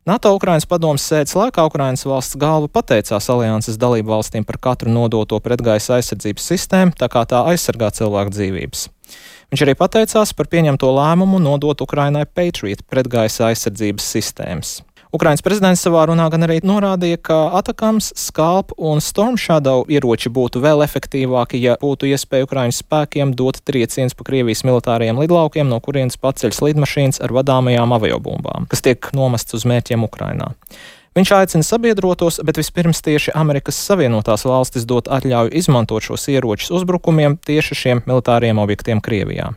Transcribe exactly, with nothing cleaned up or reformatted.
NATO Ukrainas padomes sēdes laikā Ukrainas valsts galva pateicās alianses dalību valstīm par katru nodoto pretgaisa aizsardzības sistēmu, tā kā tā aizsargā cilvēku dzīvības. Viņš arī pateicās par pieņemto lēmumu nodot Ukrainai Patriot pretgaisa aizsardzības sistēmas. Ukrainas prezidents savā runā gan arī norādīja, ka Atakams, Skalp un Storm Shadow ieroči būtu vēl efektīvāki, ja būtu iespēja Ukrainas spēkiem dot triecienus pa Krievijas militāriem lidlaukiem, no kurienes paceļas lidmašīnas ar vadāmajām aviobumbām, kas tiek nomestas uz mērķiem Ukrainā. Viņš aicina sabiedrotos, bet vispirms tieši Amerikas Savienotās valstis dot atļauju izmantot šos ieročus uzbrukumiem tieši šiem militāriem objektiem Krievijā.